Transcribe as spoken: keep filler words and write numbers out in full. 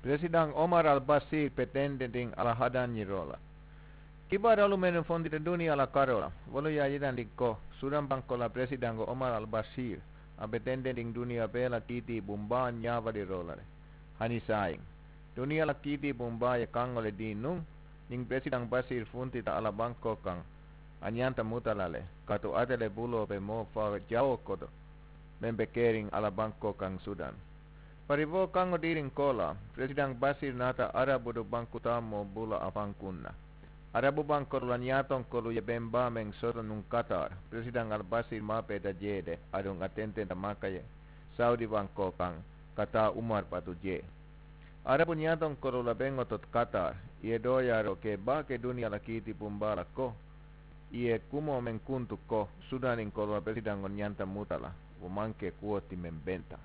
Peresidaŋ omar al-basir petendendiŋ a la hadaŋ ñiŋ roo la. Kibaarolu mennu fontita duniyaa la karoo la wolu ye a yitandi ko sudaŋ bankoo la peresidaŋo omar al-basir a petendendiŋ duniyaa bee la kiitii bumbaa ñaabaliroo la le. Hani saayiŋ duniyaa la kiitii bumbaa ye kaŋo le dii nuŋ. Ñiŋ peresidaŋ basir funtita a la bankoo kaŋ a ñanta muta la le kaatu ate le buloo be moo faa jawoo koto meŋ be keriŋ a la bankoo kaŋ sudaŋ. Bari wo kaŋo diiriŋ koolaa peresidaŋ basir naata arabudu banku taamoo bula a faŋ kuŋ na. Arabu bankoolu la ñaatonkolu ye beŋ baa meŋ soto nuŋ kataar peresidaŋ al-basir maapeeta jee de aduŋ a tententa maka ye sawudi bankoo kaŋ ka taa umar batu jee. Arabu ñaatonkolu la beŋo to kataar i ye dooyaaroo ke baake duniyaa la kiiti bumbaa la ko i ye kumoo meŋ kuntu ko sudaaninkolu la peresidaŋo ñanta muta la wo maŋ ke kuwo ti meŋ benta.